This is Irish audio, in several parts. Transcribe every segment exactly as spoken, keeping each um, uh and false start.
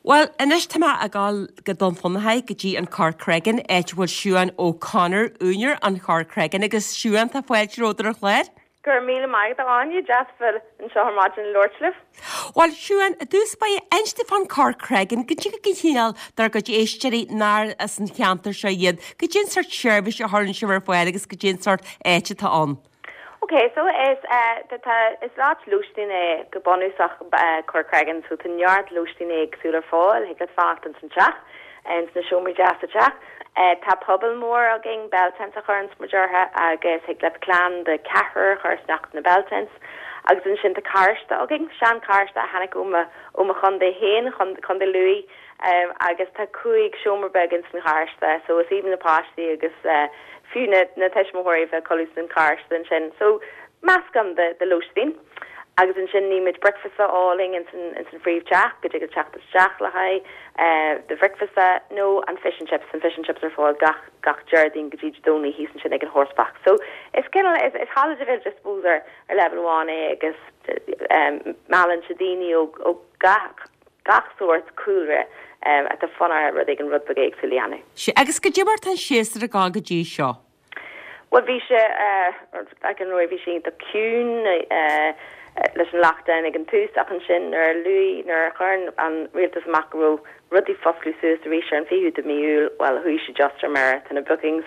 Well, anois tá mé ag dul go Dún Fionnachaidh go dtí an Corcraigin, áit a bhfuil Siuán O'Connor, úinéir an Chorcraigin agus Siuán tá fáilte romhat ar an chlár. Go raibh míle maith agat Áine, deas bheith anseo ar maidin ag labhairt libh. Bhuel Siuán, i dtús báire inis dúinn fán Corcraigin, goidé an cineál dár gcuid éisteoirí nár as an cheantar seo iad, goidé an sórt seirbhís a chuireann sibh ar fáil agus goidé an sórt áit atá ann. Ok, so is uh, tá is áit lóistín é go bunúsach uh, Corcraigin, so tá neart lóistín éagsúil ar fáil, thig leat fanacht in san teach, in sna seomraí deas sa teach. Uh, tá puball mór againn bell tent a chuireann muid orthu agus thig le clann de ceathrar chur isteach na bell tents. Agus ansin tá carráiste againn seancharráiste a tháinig ó ó mo chontae féin Contae Lú um, agus tá cúig seomra beag in san charráiste, so is aoibhinn na páistí agus uh, fiú na, na tuismitheoirí bheith codladh san charráiste ansin. So meascán de, de lóistín. agus ansin nímid breakfast áling in san in san phríomhtheach go dtig teacht isteach le haghaidh uh, de breakfast nó an fish and chips an fish and chips ar fáil gach gach Déardaoin go dtí Domhnach thíos ansin ag an horsebox. So is cineál is, is holiday village I suppose ar ar level amháin é agus um, meallann sé daoine ó, ó gach gach sórt cúlra um, atá fonn orthu rud éigin rud beag éagsúil a dhéanamh. Sí agus goidé mar tá an séasúr ag dul go dtí seo. Well bhí sé uh, an roi bhí sé iontach ciúin uh, leis an lockdown ag an tús ach ansin nuair luí nuair a chuir an rialtas amach go raibh rudaí ag oscailt suas arís ar an fichiú de mí Iúil well chuaigh sé just ar mire tá na bookings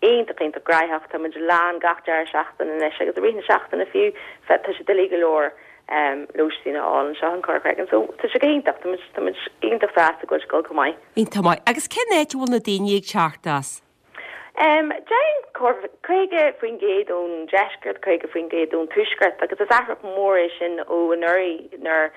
iontach iontach gnóthach tá muid lán gach deireadh seachtaine anois agus i rith na seachtaine fiú fe tá sé doiligh go leor um, lóistín a fháil anseo in Corcraigin so tá sé go hiontach tá muid iontach sásta go go go maith. Iontach maith agus cén áit a bhfuil na daoine ag teacht as. Um, Déarfainn caoga faoin gcéad ón deisceart caoga faoin gcéad ón tuaisceart agus is athrú mór é sin ó anuraidh nuair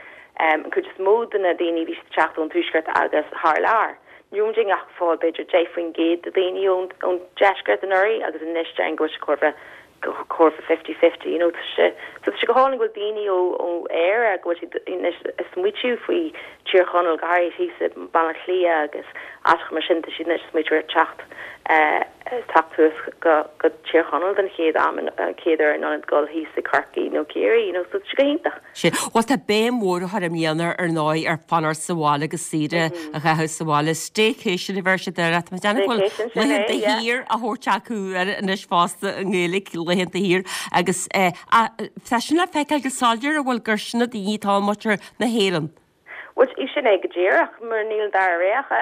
um, an chuid is mó de na daoine bhí teacht ón tuaisceart agus thar lear. Ní ding ach fáil b'fhéidir deich faoin gcéad de daoine ón deisceart anuraidh agus anois déarfainn go chóir chóir fifty fifty you know sé so sé go hálainn go daoine ó ó Éire go bhfuil siad smaoitiú faoi Tír Chonaill go háirithe thíos Baile Átha Cliath agus áiteacha mar sin siad anois smaoitiú ar teacht teacht go go Tír Chonaill den chéad am chéad uair in ionad dul thíos i Corcaigh nó Ciarraí you know so sé go hiontach. Sé Well tá béim mhór á chur i mbliana ar ndóigh ar fanacht sa bhaile agus saoire a chaitheamh sa bhaile staycation a bheir sé de déanamh laethanta thiar a thabhairt acu ar anois fosta i nGaeilge laethanta thiar agus tá sin le feiceáil go soiléir a bhfuil gur sin na daoine atá muintir na hÉireann. Well í sin é go díreach mar níl dara rogha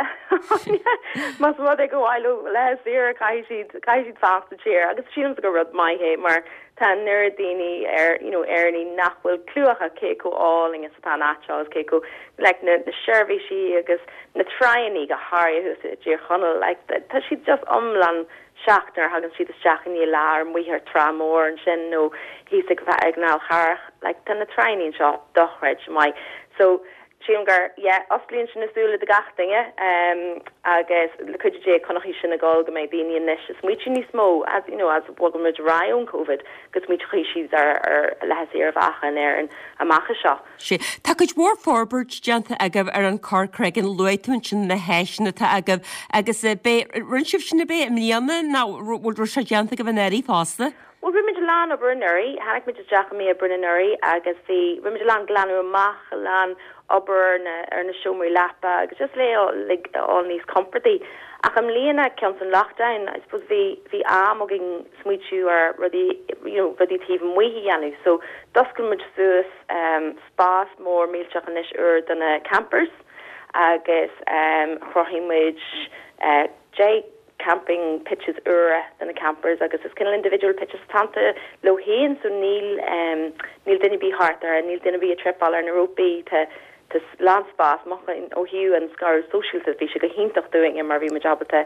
Más rud é go bhfuil le saoire caithfidh caithfidh siad fanacht sa tír agus sílim gur rud maith é mar tá an oiread daoine ar you know Éireannaigh nach bhfuil clue acu cé chomh hálainn is atá an áit agus cé chomh like na, na seirbhísí agus na tránna go háirithe i dTír Chonaill like tá siad just iomlán shocked nuair thagann siad isteach in lár muithear trá mór ansin nó thíos ag ag Nál Charach like tá na tránna seo dochreidte maith so Sílim gur yeah, osclaíonn sin na súile do gach duine um, agus le cuidiú Dé coinneoidh sin ag dul go mbeidh daoine anois is smaoitiú níos mó as you know as bhfuil ra ón COVID gus smaoitiú siad ar ar leis ar bhachan ar an amach seo. Sé Tá cuid mhór forbairt déanta agaibh ar an Corcraigin luaigh tú ansin na háiseanna atá agaibh agus bé rinne sibh sin a bé i mbliana ná bhfuil sé déanta agaibh anuraidh fosta? Well rinne muid a lán obair anuraidh, tháinig muid isteach i mí Aibreáin anuraidh agus bhí rinne muid a lán glanadh amach a lán obair na ar na seomraí leapa agus just le like all níos comfortaí. Ach i mbliana cionn an lockdown, I suppose bhí bhí am againn smaoitiú ar rudaí you know, rudaí taobh amuigh a dhéanamh. So d'oscail muid suas um, spás mór millteach anois úr do na campers agus um, chruthaigh muid uh, deich camping pitches úra do na campers agus is cineál individual pitches tanta leo féin so níl um, níl duine ar bith thart ar níl duine ar bith ag tripeáil ar na rópaí tá tá lán spás ó thaobh an scaradh sóisialta bhí sé go hiontach dúinn mar bhí muid ábalta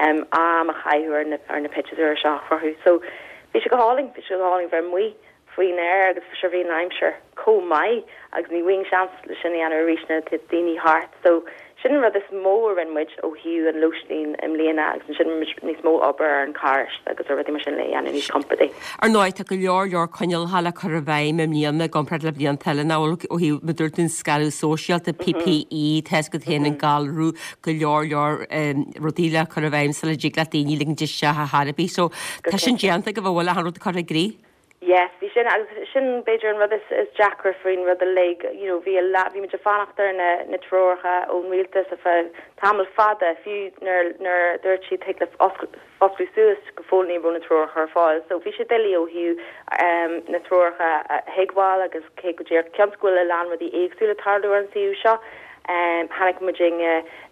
um, am a chaitheamh ar na ar na pitches úra seo a chruthú so bhí sé go hálainn bhí sé go hálainn bheith amuigh faoin aer agus sure bhí an aimsir chomh maith agus ní bhíonn seans le sin a dhéanamh arís na daoine thart so sin an rud is mó a rinne muid ó thaobh an lóistín i mbliana agus sin níos mó obair ar an charráiste agus ar rudaí mar sin le dhéanamh níos compordaí. Ar ndóigh tá go leor leor coinníollacha le cur i bhfeidhm i mbliana i gcomparáid le blianta eile ná ó thaobh mar a dúirt tú an scaradh sóisialta PPE test go théann an galrú go leor leor rudaí le cur i bhfeidhm sula dtig le daoine ligint isteach a tharabí, so tá sin déanta go bhfuil an rud curtha i gcrích. Yes, bhí sin agus sin b'fhéidir an rud is, is deacra faoin rud uilig, you know, bhí bhí muid ag fanacht ar na, na treoracha ón rialtas ar feadh tamall fada fiú nuair nuair dúirt siad thig le foscladh suas go fóill ní raibh na treoracha ar fáil. So bhí sé doiligh ó thaobh um, na treoracha a thuigbheáil agus cé go dtír ceann go bhfuil a lán rudaí éagsúla ag tarlú ar an suíomh seo. Um, tháinig muid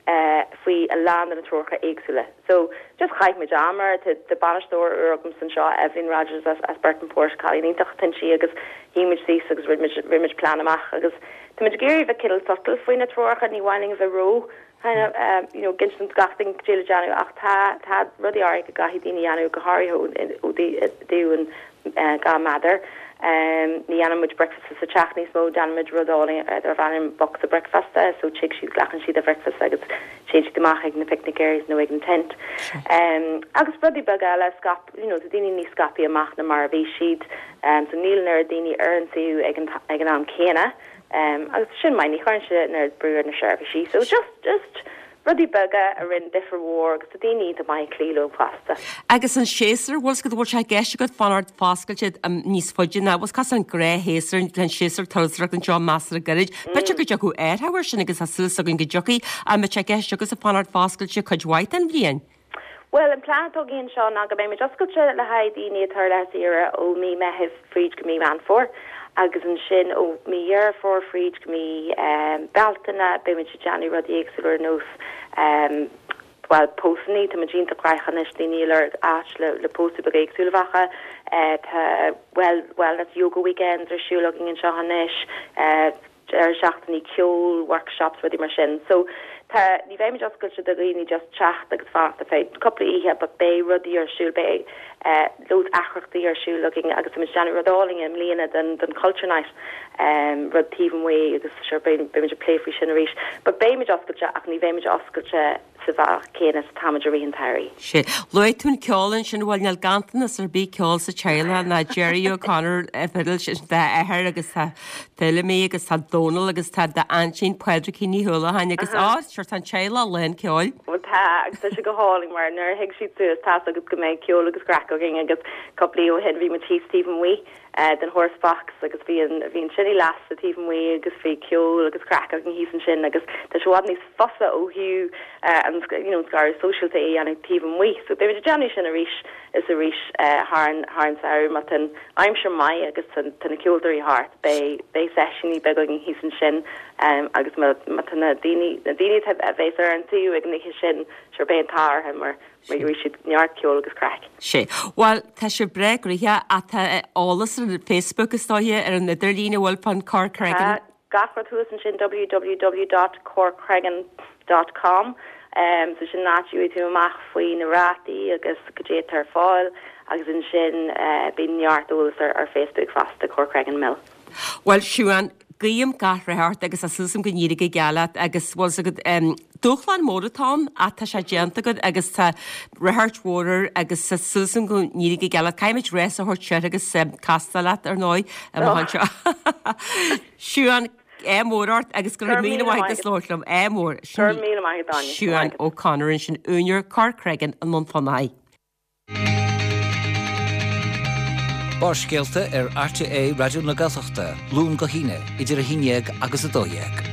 uh, faoi a lán de na treoracha éagsúla. So just chaith muid am air tá bainisteoir úr agam anseo Evelyn Rogers as, as Burtonport cailín iontach sí agus shuigh muid síos agus rinne muid plean amach agus Tá muid ag iarraidh bheith cineál subtle faoi na treoracha ní bhaining bheith ró kind of um, you know ginsin gachting déle déanamh ach tá tá rudaí áirithe go gcaithfidh daoine déanamh go háirithe ó thaobh an uh, dhá méadar. Um, ní dhéanann muid breakfast sa teach níos mó déanann muid rud darb ainm bocsa breakfasta, so tig siad glacann siad a breakfast agus téann siad amach ag na picnic areas nó ag an tent. Um, agus rudaí beaga eile scap you know, daoine níos scaipthe amach ná mar a bhí siad um, so níl na daoine ar an suíomh ag an, ag an am céanna. Um, agus sin mai ní chuireann sé na brú ar na seirbhísí, so just just rudaí beaga a rinne difear mhór agus daoine tá maith clíú pasta. Agus an séasúr bhfuil go bhfuil sé ceist agat fanacht foscailte níos faide ná was cas an gnáthshéasúr an séasúr turasóireachta anseo measartha gairid. B'fhéidir go dtiocfadh air sin agus tá súil againn go dtiocfaidh a me sé ceist agus a fanacht foscailte cuid mhaith den bhliain. Well an plean atá againn seo ná go mbeidh oscailte le haghaidh daoine atá le saoire ó mí Mheithimh fríd go mí Meán Fómhair agus ansin ó mí Dheireadh Fómhair fríd go mí um, Bealtaine beimid ag déanamh rudaí éagsúla ar nós um, well pósanna tá muid iontach anois daoine lorg áit le le pósadh beag éagsúla bheacha uh, tá well wellness yoga weekends ar siúl againn anseo anois uh, ar seachtainí ceol workshops rudaí mar sin so tá ní bheimid oscailte do dhaoine just teacht agus fanacht ar feadh cúpla oíche but beidh rudaí ar siúl beidh uh, lód imeachtaí ar siúl againn agus muid déanamh rud álainn i mbliana den den culture night um, rud taobh amuigh agus sure beimid ag plé faoi sin arís but beimid oscailte ach ní bheimid oscailte sa bhealach céanna is atáimid i rith an tsamhraidh. Sé Luaigh tú an ceol ansin bhfuil níl ganntanas ar bith ceol sa teaghlach ná Jerry O'Connor fidil sin d'athair agus tá Feilimí agus tá Dónal agus tá d'aintín Pádraigín Ní Houlihan agus á sure tá an teaghlach lán ceoil. Well tá agus tá sé go hálainn mar nuair a thig siad suas tá agus go mbeidh ceol agus craic againn agus cúpla ó shin bhí muid thíos taobh amuigh uh, den horse box agus bhí an bhí an tine lasta taobh amuigh agus bhí ceol agus craic againn thíos ansin agus tá sé bhfad níos fusa ó thaobh uh, an you know scaradh sóisialta é an taobh amuigh so beimid ag déanamh sin arís is arís uh, thar an thar an samhradh má tá an aimsir maith agus tá na ceoltóirí thart beidh beidh seisiúin beaga againn thíos ansin um, agus má tá na daoine na daoine a bheas ar an suíomh ag an oíche sin sure beidh an t-ádh orthu mar mar gheobhaidh siad neart ceol agus craic. Sé. Well tá sé breá gnoitheach atá eolas ar Facebook is dóiche ar an idirlíon bhfuil fan Corcregan. Gach rud thuas ansin www.corcregan.com um, so sin áit a bhfaighidh tú amach faoi na rátaí agus cad é atá ar fáil agus ansin uh, bíonn neart eolas ar, ar Facebook fosta Corcregan Mill. Well Siún guím gach rath ort agus tá súil agam go n-éireoidh go geal leat agus bhfuil agat um, dúshlán mór atá ach tá sé déanta agat agus tá rath mhór agus tá súil agam go n-éireoidh go geal leat caithfimid rás a thabhairt seo agus um, castáil leat ar ndóigh amach anseo. Siún ádh mór ort agus go raibh míle maith as labhairt liom ádh mór míle maith Siún O'Connor ansin úinéir Corcregan i nDún Fionnachaidh. Barrscéalta ar RTÉ Raidió na Gaeltachta, Luan go hAoine, idir a haon déag agus a dó dhéag.